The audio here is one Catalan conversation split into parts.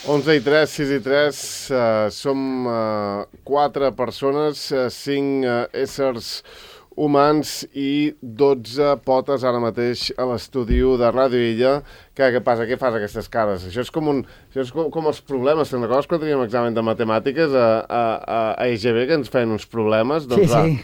11:03, 6:03, som 4 persones, 5 éssers humans i 12 potes ara mateix a l'estudi de Ràdio Illa. Què passa? Què fas aquestes cares? Això és com els problemes. Te'n recordes quan teníem examen de matemàtiques a EGB, que ens feien uns problemes? Doncs sí.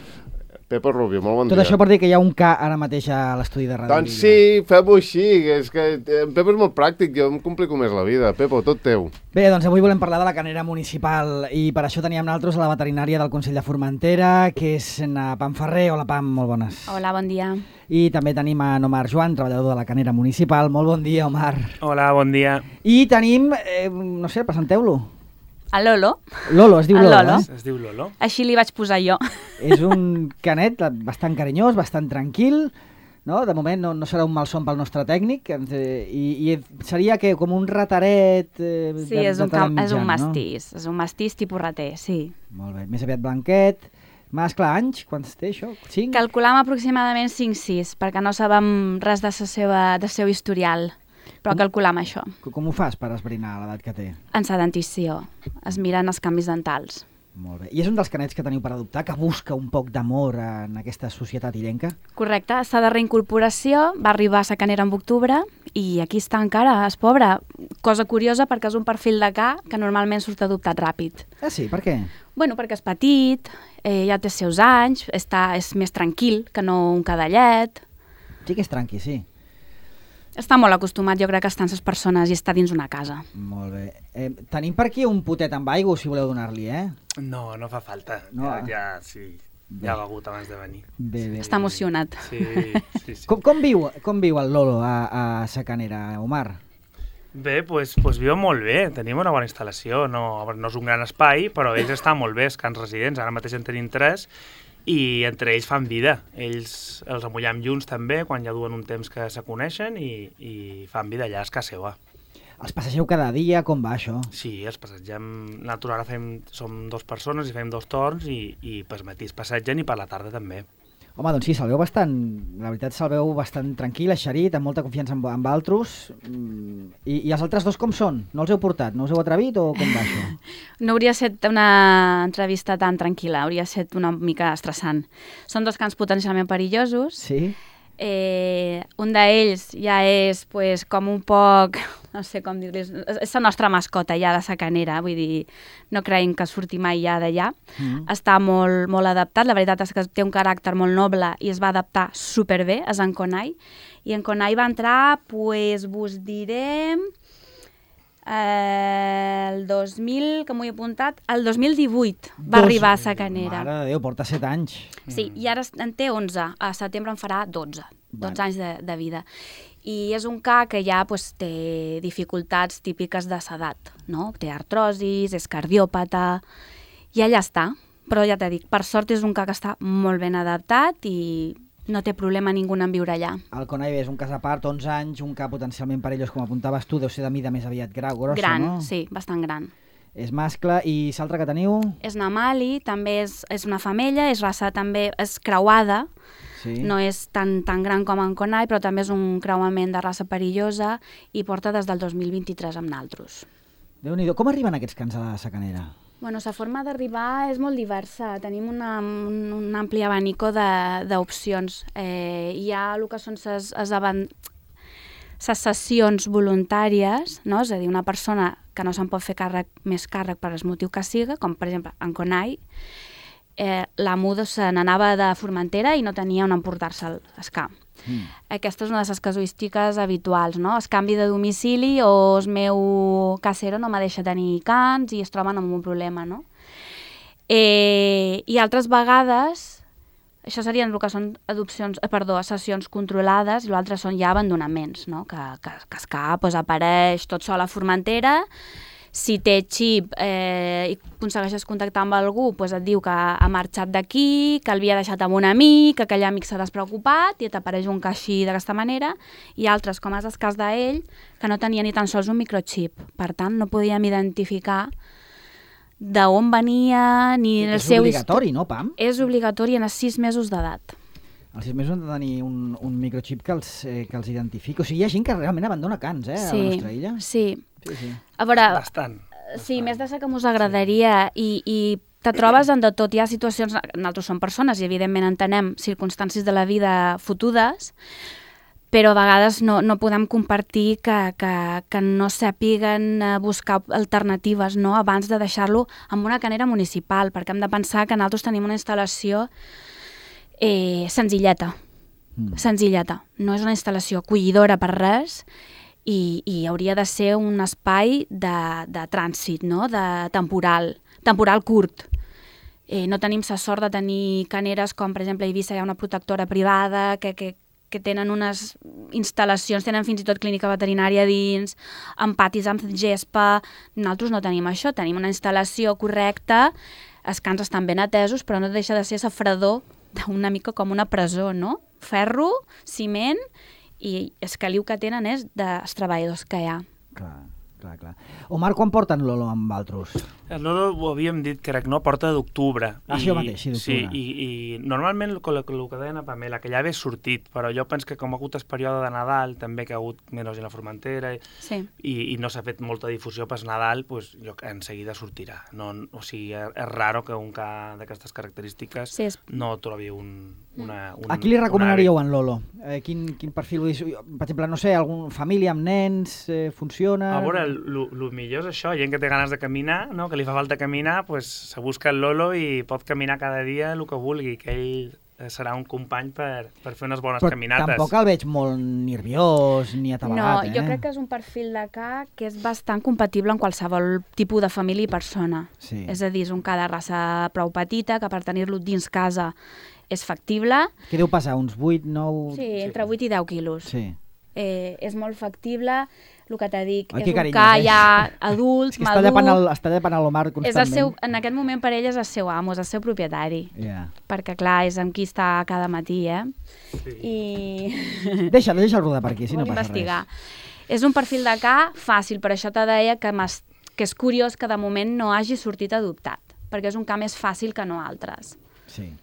Pepo Rubio, molt bon dia. Tot això per dir que hi ha un K ara mateix a l'estudi de Ràdio Illa. Doncs sí, fem-ho així, és que en Pepo és molt pràctic, jo em complico més la vida. Pepo, tot teu. Bé, doncs avui volem parlar de la canera municipal i per això teníem nosaltres a la veterinària del Consell de Formentera, que és na Pam Ferrer. Hola, Pam, molt bones. Hola, bon dia. I també tenim a Omar Joan, treballador de la canera municipal. Molt bon dia, Omar. Hola, bon dia. I tenim, no sé, presenteu-lo. El Lolo. Lolo, es diu Lolo, Lolo. Es diu Lolo. Així li vaig posar jo. És un canet bastant carinyós, bastant tranquil, no? De moment no serà un malson pel nostre tècnic, i seria que com un rataret sí, és un mastís, és un mastís tipus rater, sí. Molt bé, més aviat blanquet. Mascle, anys, quants té això? 5? Calculam aproximadament 5-6, perquè no sabem res del seu historial. Però calculam això. Com ho fas per esbrinar l'edat que té? En sa dentició. Es miren els canvis dentals. Molt bé. I és un dels canets que teniu per adoptar, que busca un poc d'amor en aquesta societat illenca? Correcte. Està de reincorporació, va arribar a sa canera en octubre i aquí està encara, és pobre. Cosa curiosa perquè és un perfil de ca que normalment surt adoptat ràpid. Ah, sí? Per què? Bueno, perquè és petit, ja té els seus anys, és més tranquil que no un cadallet. Sí que és tranqui, sí. Està molt acostumat, jo crec, a estar amb les persones i està dins una casa. Molt bé. Tenim per aquí un potet amb aigua, si voleu donar-li, No, no fa falta. No. Ja ha begut abans de venir. Bé. Està emocionat. Sí. Com viu el Lolo a sa canera, Omar? Bé, doncs viu molt bé. Tenim una bona instal·lació. No és un gran espai, però ells estan molt bé, els cans residents. Ara mateix en tenim 3. I entre ells fan vida. Ells els amullam junts també, quan ja duen un temps que se coneixen i fan vida allà, és casa seva. Els passegeu cada dia? Com va això? Sí, els passegem. Nosaltres ara som 2 persones i fem 2 torns i per matí es passegen i per la tarda també. Home, doncs sí, se'l veu bastant, la veritat se'l veu bastant tranquil, eixerit, amb molta confiança amb altres. I els altres 2 com són? No els heu portat? No us heu atrevit o com va això? No hauria estat una entrevista tan tranquil·la, hauria estat una mica estressant. Són 2 cans potencialment perillosos. Sí? Un d'ells ja és com un poc, no sé com dir-li, és la nostra mascota ja de sa canera, vull dir, no creiem que surti mai ja d'allà. Està molt, molt adaptat, la veritat és que té un caràcter molt noble i es va adaptar superbé, és en Conai, i en Conai va entrar, vos diré, el 2000, que m'ho he apuntat, el 2018 va arribar a sa canera. Mare de Déu, porta 7 anys. Sí, i ara en té 11, a setembre en farà 12 anys de vida. I és un ca que ja té dificultats típiques de s'edat, no? Té artrosis, és cardiòpata, i allà està. Però ja t'he dit, per sort és un ca que està molt ben adaptat i no té problema ningú en viure allà. El Conai és un cas a part, 11 anys, un ca potencialment perillós, com apuntaves tu, deu ser de mida més aviat grossa, gran, no? Sí, bastant gran. És mascle, i l'altre que teniu? És Namali, també és una femella, és raça també, és creuada, sí. No és tan gran com en Conai, però també és un creuament de raça perillosa i porta des del 2023 amb naltros. Déu-n'hi-do. Com arriben aquests cans a la canera? Bueno, la forma d'arribar és molt diversa. Tenim un ampli abanico d'opcions. Hi ha el que són les sessions voluntàries, no? És a dir, una persona que no se'n pot fer més càrrec per el motiu que siga, com per exemple en Conai, l'amo se n'anava de Formentera i no tenia on emportar-se el camp. Aquesta és una de les casuístiques habituals, no? Es canvi de domicili o el meu casero no me deixa tenir cans i es troben amb un problema, no? I altres vegades, això serien el que són sessions controlades, i l'altre són ja abandonaments, no? Que el cap apareix tot sol a Formentera. Si té xip i aconsegueixes contactar amb algú, et diu que ha marxat d'aquí, que l'havia deixat amb un amic, que aquell amic s'ha despreocupat i t'apareix un ca així d'aquesta manera, i altres, com és el cas d'ell, que no tenia ni tan sols un microxip. Per tant, no podíem identificar d'on venia ni el seu... És obligatori, no, Pam? És obligatori en els 6 mesos d'edat. Als 6 mesos han de tenir un microchip que els identifiqui. O sigui, hi ha gent que realment abandona cans, a la nostra illa. Sí. A veure, bastant. Sí, més de ser que m'us agradaria i te trobes en de tot. Hi ha situacions, nosaltres som persones i evidentment entenem circumstàncies de la vida fotudes, però a vegades no podem compartir que no sàpiguen buscar alternatives, no?, abans de deixar-lo en una canera municipal, perquè hem de pensar que nosaltres tenim una instal·lació senzilleta. No és una instal·lació acollidora per res i hauria de ser un espai de trànsit, no?, de temporal curt. No tenim la sort de tenir caneres com, per exemple, a Eivissa hi ha una protectora privada que tenen unes instal·lacions, tenen fins i tot clínica veterinària dins, amb patis, amb gespa. Nosaltres no tenim això, tenim una instal·lació correcta, els cans estan ben atesos, però no deixa de ser la fredor d'una mica com una presó, no? Ferro, ciment, i el caliu que tenen és dels treballadors que hi ha. Clar. Omar, quan porten Lolo amb vosaltres? El Lolo ho havíem dit, crec, no? Porta d'octubre. Això mateix, sí, d'octubre. Sí, i normalment el que deia a Pamela, que ja ve sortit, però jo penso que com ha hagut el període de Nadal, també que ha hagut menys a la Formentera, i no s'ha fet molta difusió per Nadal, doncs jo en seguida sortirà. O sigui, és raro que un ca d'aquestes característiques no trobi una... A qui li recomanaríeu en Lolo? Quin perfil? Per exemple, no sé, alguna família amb nens, funciona? A veure, el millor és això, gent que té ganes de caminar, no? Que li fa falta caminar, pues, se busca el Lolo i pot caminar cada dia el que vulgui, que ell serà un company per fer unes bones caminates. Però tampoc el veig molt nerviós ni atabalat. No, jo crec que és un perfil de ca que és bastant compatible amb qualsevol tipus de família i persona. Sí. És a dir, és un ca de raça prou petita, que per tenir-lo dins casa és factible. Què deu passar, uns 8, 9... Sí, entre 8 i 10 quilos. Sí. És molt factible, el que t'he dit, és un ca ja adult, madur... Està llepant l'Omar constantment. En aquest moment per ell és el seu amo, és el seu propietari. Yeah. Perquè, clar, és amb qui està cada matí, Sí. I... Deixa'l rodar per aquí, si no passa investigar. res. És un perfil de ca fàcil, per això te deia que és curiós que de moment no hagi sortit adoptat, perquè és un ca més fàcil que no altres. Sí.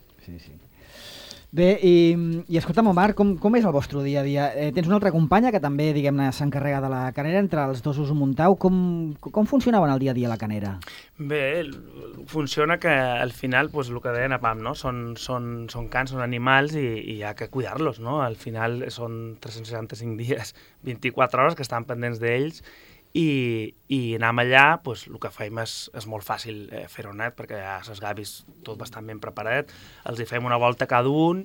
Bé, i escolta'm, Omar, com és el vostre dia a dia? Tens una altra companya que també, diguem-ne, s'encarrega de la canera, entre els dos us ho muntau. Com funcionava en el dia a dia la canera? Bé, funciona que al final, pues, el que deien a Pam, no? Són cans, són animals i hi ha que cuidar-los, no? Al final són 365 dies, 24 hores que estan pendents d'ells i anem allà, pues, el que fem és molt fàcil fer-ho net, perquè ja les gavis tot bastant ben preparat, els hi fem una volta cada un,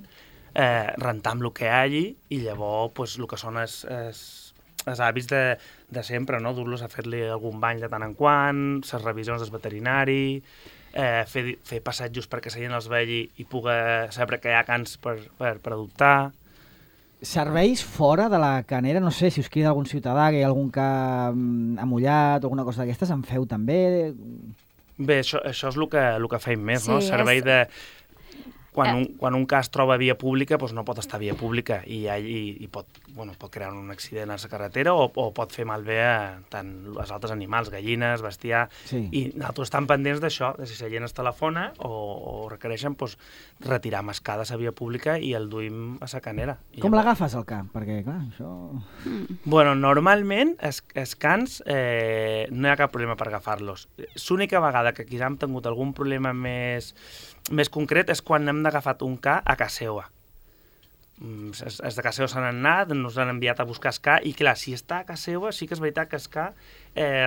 rentam el que hi hagi i llavors pues, el que són els hàbits de sempre, no? Dur-los a fer-li algun bany de tant en quant, les revisions del veterinari, fer passatjos perquè la gent els vegi i pugui saber que hi ha cans per adoptar. Serveis fora de la canera, no sé si us crida algun ciutadà, que hi ha algun ca amullat o alguna cosa d'aquestes, en feu també? Bé, això és el que fem més, no? Servei de... Quan un cas troba via pública, doncs no pot estar a via pública i pot crear un accident a la carretera o pot fer malbé a tant els altres animals, gallines, bestiar, i nosaltres estem pendents d'això, de si la gent es telefona o requereixen retirar mascada a la via pública i el duim a la canera. Com l'agafes al cap? Perquè, clar, això... Bueno, normalment els cans no hi ha cap problema per agafar-los. L'única vegada que aquí hem tingut algun problema més concret és quan hem agafat un ca a casa seva. Els de casa seva s'han anat, ens han enviat a buscar el ca, i clar, si està a casa seva sí que és veritat que el ca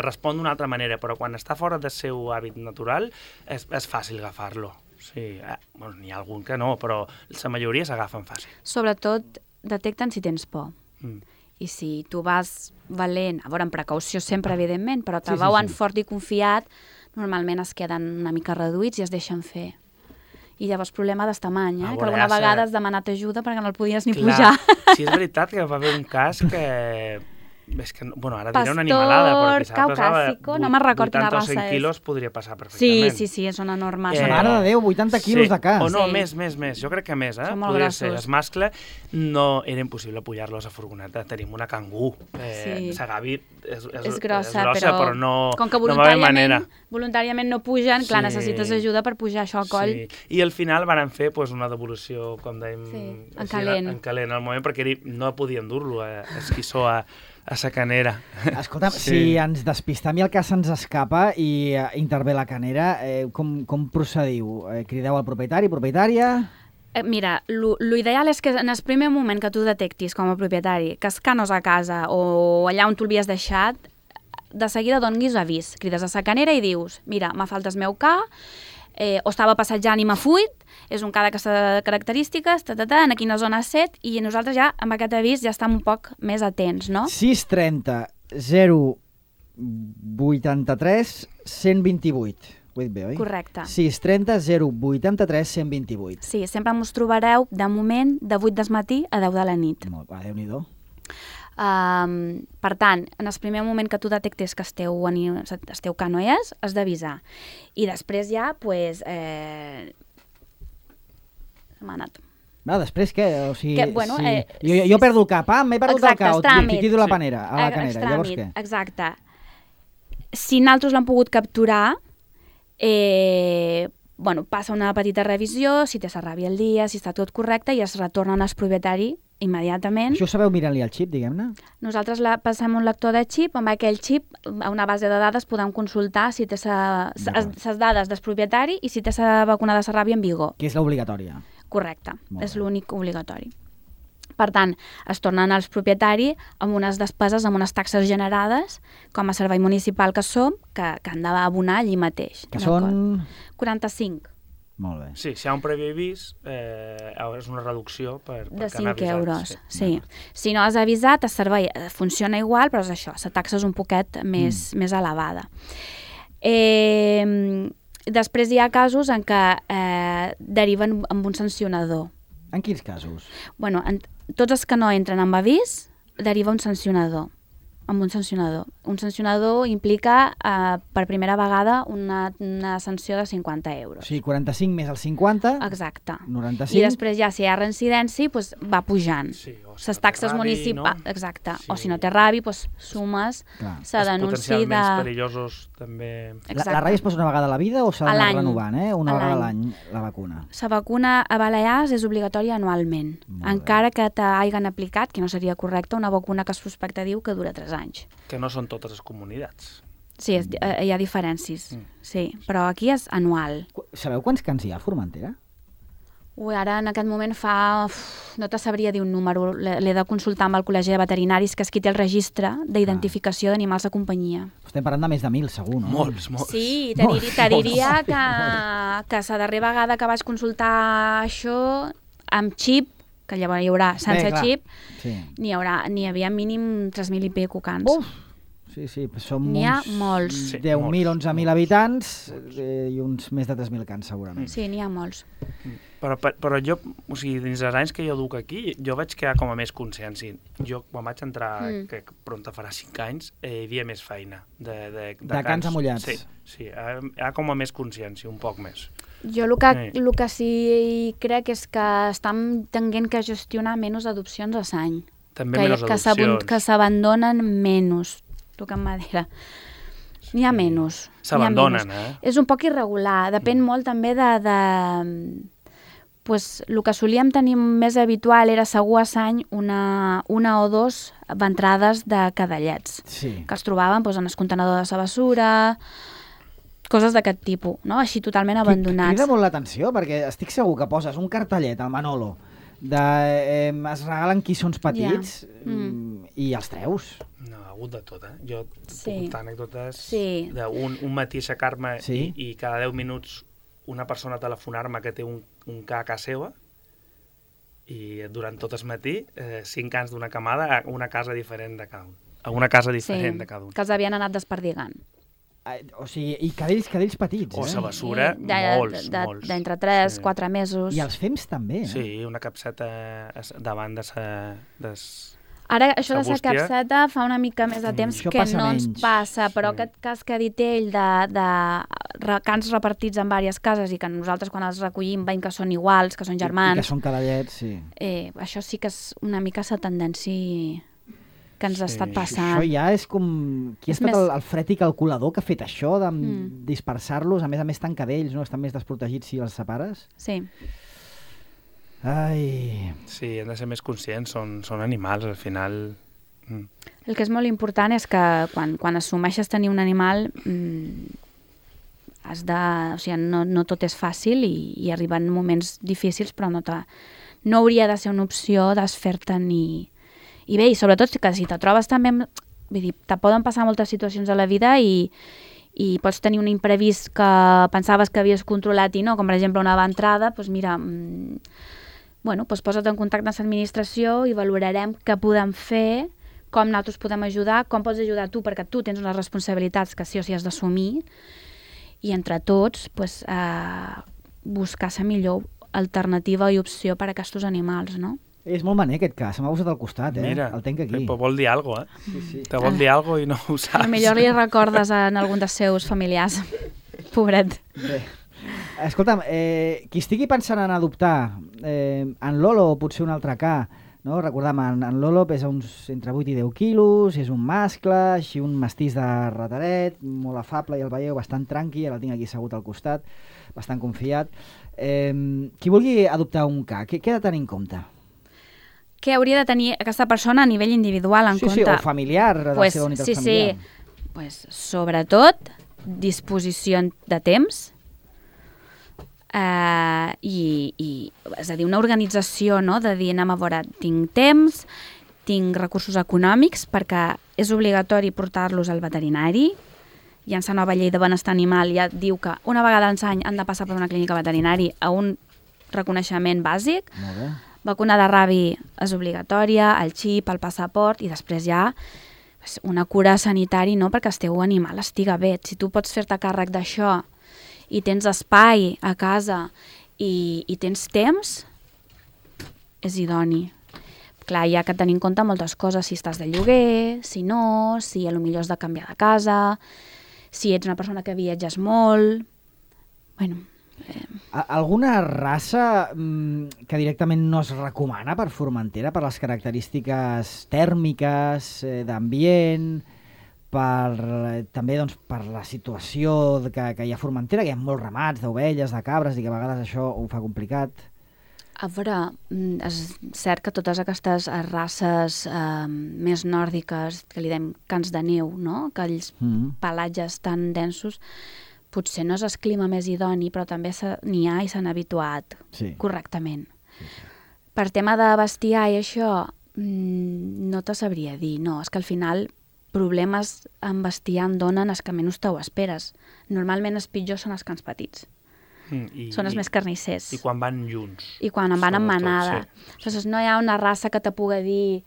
respon d'una altra manera, però quan està fora del seu hàbit natural és fàcil agafar-lo. Sí, n'hi ha algun que no, però la majoria s'agafen fàcil. Sobretot detecten si tens por. I si tu vas valent, a veure, amb precaució sempre, evidentment, però te veuen fort i confiat, normalment es queden una mica reduïts i es deixen fer. I llavors problema d'estamany, que alguna vegada has demanat ajuda perquè no el podies ni pujar. Sí, és veritat que va haver un cas que És que, bueno, ara diré una animalada, però Pastor quizà pesava caucàsico, no me'n record quina 80 o raça 100 és. quilos podria passar Sí, perfectament. sí, sí, són enormes. Mare de Déu, 80 quilos de cas. O no, Sí. més. Jo crec que més, Són molt Podria grossos. ser. Els mascle no era impossible pujar-los a furgoneta. Tenim una cangú. Sí. La Gavi És grossa, però no, com que no va haver manera. voluntàriament no pugen, clar, Sí. necessites ajuda per pujar això al coll. Sí. I al final van fer una devolució, com dèiem, Sí, en així, calent. en calent al moment, perquè no podien dur-lo a esquissó a sa canera. Escolta'm, si ens despistam i el cas se'ns escapa i intervé la canera, com procediu? Crideu al propietari, propietària? Mira, l'ideal és que en el primer moment que tu detectis com a propietari que els canos a casa o allà on tu l'havies deixat, de seguida donis avís. Crides a sa canera i dius, mira, m'ha faltat el meu ca, o estava passejant i m'ha fuit, és un ca d'aquestes característiques, en quina zona has set, i nosaltres ja, amb aquest avís, ja estem un poc més atents, no? 630 083 128. Ho he dit bé, oi? Correcte. 630 083 128. Sí, sempre ens trobareu, de moment, de 8 del matí a 10 de la nit. Molt, Déu-n'hi-do. Per tant, en el primer moment que tu detectes que el teu ca no és, has d'avisar. I després ja, doncs... m'ha anat. Després què? O sigui, Que, bueno, jo perdo el cap, m'he perdut exacte, el els cap, tràmits. tiro a la panera, a la canera, llavors què? Exacte. Si nosaltres l'hem pogut capturar, passa una petita revisió, si té la ràbia al dia, si està tot correcte, i es retornen al propietari immediatament. Això ho sabeu mirant-li al xip, diguem-ne? Nosaltres passem un lector de xip, amb aquell xip, a una base de dades podem consultar si té les dades del propietari i si té la vacuna de la ràbia en vigor. Que és l'obligatòria. Correcte, Molt és bé. l'únic obligatori. Per tant, es tornen als propietaris amb unes despeses, amb unes taxes generades, com a servei municipal que som, que han d'abonar allí mateix. Que són... 45. Molt bé. Sí, si hi ha un previ avís, és una reducció per De han 5 avisat, euros, sí. Si no has avisat, el servei funciona igual, però és això, la taxa és un poquet més elevada. Després hi ha casos en què deriven amb un sancionador. En quins casos? Bueno, tots els que no entren amb avís, deriva un sancionador. Amb un sancionador. Un sancionador implica per primera vegada una sanció de 50 euros. O sigui, 45 més el 50, Exacte. 95. I després ja, si hi ha reincidència, doncs va pujant. Sí, o si Les no té taxes ràbi, municipals, no? exacte. Sí. O si no té ràbi, doncs sumes Clar. la Els denúncia potencialment de... perillosos també... La ràbia es posa una vegada a la vida o s'ha A d'anar l'any. renovant, una A vegada a l'any. l'any, la vacuna? La vacuna a Balears és obligatòria anualment, Molt bé. encara que t'hagin aplicat, que no seria correcte, una vacuna que es prospecte diu que dura 3 anys. Que no són totes les comunitats. Sí, hi ha diferències, sí, però aquí és anual. Sabeu quants cans hi ha a Formentera? Ui, ara en aquest moment no te sabria dir un número, l'he de consultar amb el Col·legi de Veterinaris, que és qui té el registre d'identificació d'animals de companyia. Estem parlant de més de 1.000, segur, no? Molts. Sí, te diria que la darrera vegada que vaig consultar això amb xip, que llavors hi haurà sense clar. xip, Sí. n'hi havia mínim 3.000 i pico cans. Uf! Sí, som N'hi ha uns molts. Sí, 10.000, molts, 11.000 habitants i uns més de 3.000 cans, segurament. Sí, n'hi ha molts. Però jo, o sigui, dins dels anys que jo duc aquí, jo vaig quedar com a més consciència. Jo, quan vaig entrar, que pronta farà 5 anys, hi havia més feina de cans amullats. Sí, hi ha com a més consciència, un poc més. Jo el que sí crec és que estan tenint que gestionar menys adopcions a l'any. També menys adopcions. Que s'abandonen menys. Toquen madera. N'hi ha menys. S'abandonen, És un poc irregular. Depèn molt també pues, el que solíem tenir més habitual era segur a l'any una o dos ventrades de cadallets, Sí. que els trobaven pues, en el contenedor de la bessura, coses d'aquest tipus, no? Així totalment abandonats. Crida molt l'atenció, perquè estic segur que poses un cartellet al Manolo de es regalen quissons petits i els treus. No, ha hagut de tot, Jo puc Sí. contar anècdotes Sí. d'un matí aixecar-me Sí. i cada 10 minuts una persona telefonar-me que té un ca a casa seva i durant tot el matí 5 cans d'una camada a una casa diferent de cada un. A una casa diferent de cada un. Que els havien anat desperdigant. O sigui, i cadells petits, O la bessura, molts. D'entre 3-4 mesos. I els fems també, Sí, una capseta davant de Ara, això de ser Sagústia. capseta fa una mica més de temps Això que passa no ens menys. passa, però aquest cas que ha dit ell de cans repartits en diverses cases i que nosaltres quan els recollim veiem que són iguals, que són I germans, que són cadallets, sí. això sí que és una mica la tendència que ens ha estat passant. Això ja és com... Qui ha És estat més- el fred i calculador que ha fet això, de dispersar-los, a més tan cadells, no? Estan més desprotegits si els separes? Sí. Ai... Sí, hem de ser més conscients, són animals, al final... El que és molt important és que quan assumeixes tenir un animal has de... O sigui, no tot és fàcil i arriben moments difícils, però no hauria de ser una opció desfer-te'n i bé, i sobretot que si te trobes també... Vull dir, te poden passar moltes situacions a la vida i pots tenir un imprevist que pensaves que havies controlat i no, com per exemple una entrada, doncs mira, doncs posa't en contacte amb l'administració i valorarem què podem fer, com nosaltres podem ajudar, com pots ajudar tu, perquè tu tens unes responsabilitats que sí o sí has d'assumir, i entre tots buscar la millor alternativa i opció per a aquests animals, no? És molt maner aquest cas, se m'ha posat al costat, Mira, el tenc aquí. però vol dir alguna cosa, Sí, sí. Te vol dir alguna cosa i no ho saps. Potser li recordes en algun dels seus familiars. Pobret. Bé. Escolta'm, qui estigui pensant en adoptar en Lolo o potser un altre ca, no? Recordem, en Lolo pesa uns entre 8 i 10 quilos, és un mascle, així un mestís de rataret, molt afable, i el veieu bastant tranqui, ara el tinc aquí assegut al costat, bastant confiat. Qui vulgui adoptar un ca, què ha de tenir en compte? Què hauria de tenir aquesta persona a nivell individual en compte? Sí, o familiar, de la seva unitat familiar. Pues, sobretot, disposició de temps és a dir, una organització, no? De dir, anem a veure, tinc temps, tinc recursos econòmics, perquè és obligatori portar-los al veterinari. I en la nova llei de benestar animal ja diu que una vegada l'any han de passar per una clínica veterinari a un reconeixement bàsic. Molt bé. Vacuna de rabi és obligatòria, el xip, el passaport, i després ja una cura sanitària, no? Perquè el teu animal estiga bé. Si tu pots fer-te càrrec d'això i tens espai a casa i tens temps, és idoni. Clar, hi ha que tenir en compte moltes coses, si estàs de lloguer, si no, si potser has de canviar de casa, si ets una persona que viatges molt... Bueno... Alguna raça que directament no es recomana per Formentera, per les característiques tèrmiques, d'ambient, també doncs, per la situació que hi ha a Formentera, que hi ha molts ramats d'ovelles, de cabres, i que a vegades això ho fa complicat? A veure, és cert que totes aquestes races més nòrdiques, que li dèiem cans de neu, no? Aquells pelatges tan densos, potser no és el clima més idoni, però també n'hi ha i s'han habituat correctament. Per tema de bestiar i això, no te sabria dir. No, és que al final problemes amb bestiar en donen els que menys te ho esperes. Normalment els pitjors són els cans petits. Són els més carnissers. I quan van junts. I quan van en manada. Aleshores, no hi ha una raça que te pugui dir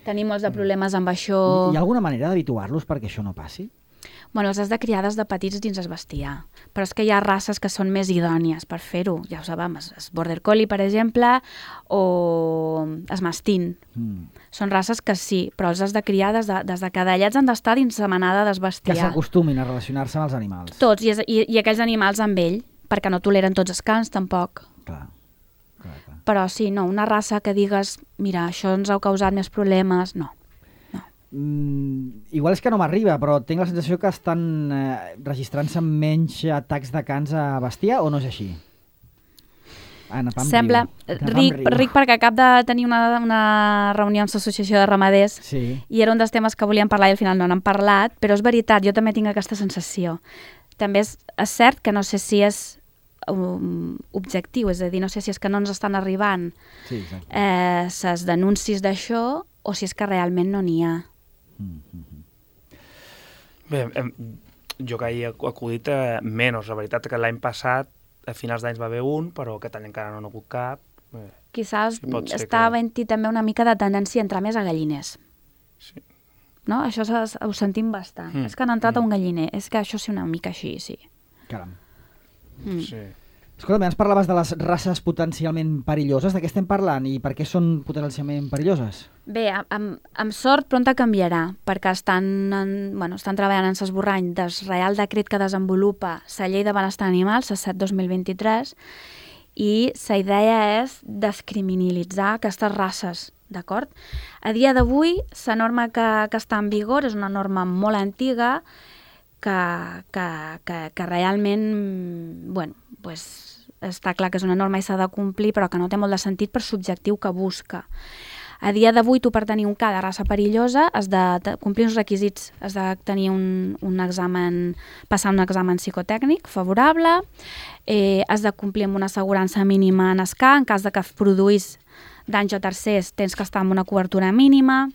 tenim molts de problemes amb això. Hi ha alguna manera d'habituar-los perquè això no passi? Bueno, els has de criar des de petits dins el bestiar, però és que hi ha races que són més idònies per fer-ho, ja ho sabem, el Border Collie, per exemple, o el Mastín. Són races que sí, però els has de criar des de cadallets han d'estar dins la manada del bestiar. Que s'acostumin a relacionar-se amb els animals. Tots, i aquells animals amb ell, perquè no toleren tots els cans, tampoc. Clar. Però sí, no, una raça que digues, mira, això ens ha causat més problemes, no. Igual és que no m'arriba, però tinc la sensació que estan registrant-se menys atacs de cans a bestiar, o no és així? Sembla ric perquè acab de tenir una reunió amb l'associació de ramaders i era un dels temes que volíem parlar i al final no n'hem parlat, però és veritat, jo també tinc aquesta sensació. També és cert que no sé si és objectiu, és a dir, no sé si és que no ens estan arribant les denúncies d'això o si és que realment no n'hi ha. Bé, jo que hi he acudit menys. La veritat que l'any passat, a finals d'anys va haver un, però aquest any encara no n'ha hagut cap. Quizás està havent-hi també una mica de tendència a entrar més a galliners. Sí. No? Això ho sentim bastant. És que han entrat a un galliner. És que això sí una mica així, sí. Caram. Sí. Escolta, ens parlaves de les races potencialment perilloses. De què estem parlant i per què són potencialment perilloses? Bé, amb sort pronta canviarà, perquè estan treballant en l'esborrany del Reial Decret que desenvolupa la Llei de Benestar Animal, la 7/2023, i la idea és descriminalitzar aquestes races, d'acord? A dia d'avui, la norma que està en vigor és una norma molt antiga que realment, està clar que és una norma i s'ha de complir, però que no té molt de sentit per l'objectiu que busca. A dia d'avui, tu per tenir un cas de raça perillosa has de complir uns requisits, has de tenir un examen, passar un examen psicotècnic favorable, has de complir amb una assegurança mínima en SCA, en cas de que produís danys a tercers tens que estar amb una cobertura mínima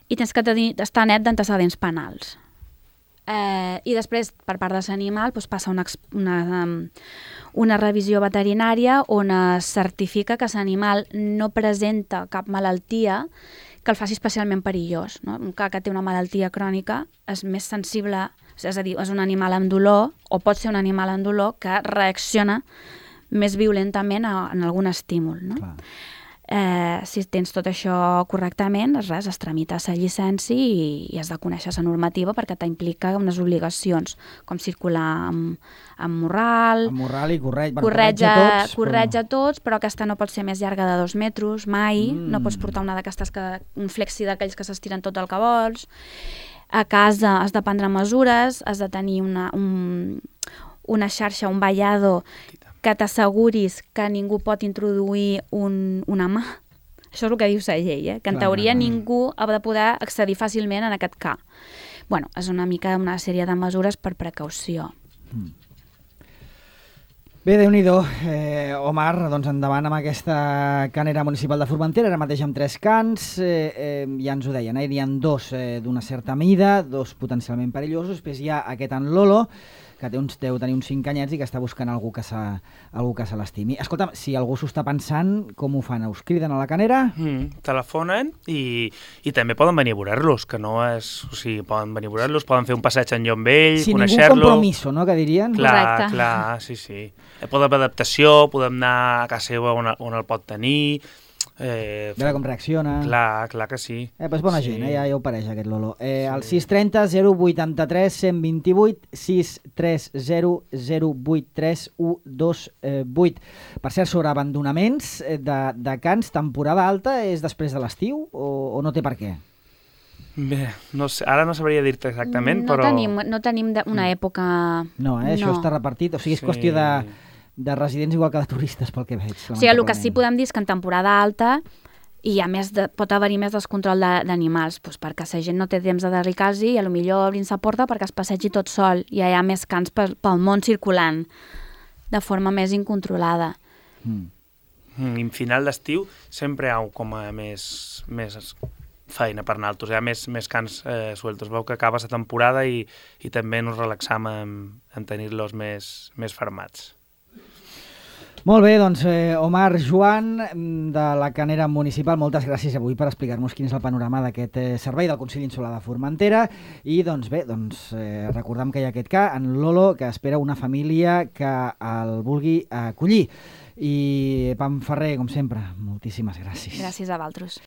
i tens que estar net d'antecedents penals. I després, per part de l'animal, passa una revisió veterinària on es certifica que l'animal no presenta cap malaltia que el faci especialment perillós. No? Un cas que té una malaltia crònica és més sensible, és a dir, és un animal amb dolor, o pot ser un animal amb dolor que reacciona més violentament en algun estímul. No? Si tens tot això correctament, es tramita la llicència i has de conèixer la normativa perquè t'implica unes obligacions, com circular amb morral... Amb morral i corretja tots, però aquesta no pot ser més llarga de 2 metres, mai. No pots portar una d'aquestes, un flexi d'aquells que s'estiren tot el que vols. A casa has de prendre mesures, has de tenir una xarxa, un vallado que t'asseguris que ningú pot introduir una mà. Això és el que diu la llei, que en teoria ningú ha de poder accedir fàcilment en aquest cas. És una mica una sèrie de mesures per precaució. Bé, Déu-n'hi-do. Omar, doncs endavant amb aquesta canera municipal de Formentera, ara mateix amb 3 cans, ja ens ho deien, n'hi ha 2 d'una certa mida, 2 potencialment perillosos, després hi ha aquest en Lolo, que deu tenir uns 5 anyets i que està buscant algú que se l'estimi. Escolta'm, si algú s'ho està pensant, com ho fan? Us criden a la canera? Telefonen i també poden venir a veure-los, que no és... O sigui, poden venir a veure-los, poden fer un passeig en llom vell, conèixer-lo... Sin ningú compromiso, no?, que dirien. Clar, sí. Podem fer adaptació, podem anar a casa seva on el pot tenir... veure com reacciona. Clar que sí. És bona gent, ja ho pareix aquest Lolo. El 630 083 128 630 083 128. Per cert, sobre abandonaments de cans, temporada alta és després de l'estiu o no té per què? Bé, no sé, ara no sabria dir-te exactament, però... No tenim una època... No, això està repartit, o sigui, és qüestió de residents igual que de turistes, pel que veig. O sigui, el que sí podem dir és que en temporada alta pot haver-hi més descontrol d'animals, perquè la gent no té temps de dedicar-s'hi i potser obrin la porta perquè es passegi tot sol i hi ha més cans pel món circulant de forma més incontrolada. I final d'estiu sempre hi ha com a més feina per nosaltres, hi ha més cans sueltos. Veu que acaba la temporada i també ens relaxam en tenir-los més fermats. Molt bé, doncs Omar Joan de la Canera Municipal, moltes gràcies avui per explicar-nos quin és el panorama d'aquest servei del Consell Insular de Formentera i doncs bé, recordem que hi ha aquest cas, en Lolo, que espera una família que el vulgui acollir. I Pam Ferrer, com sempre, moltíssimes gràcies. Gràcies a vosaltres.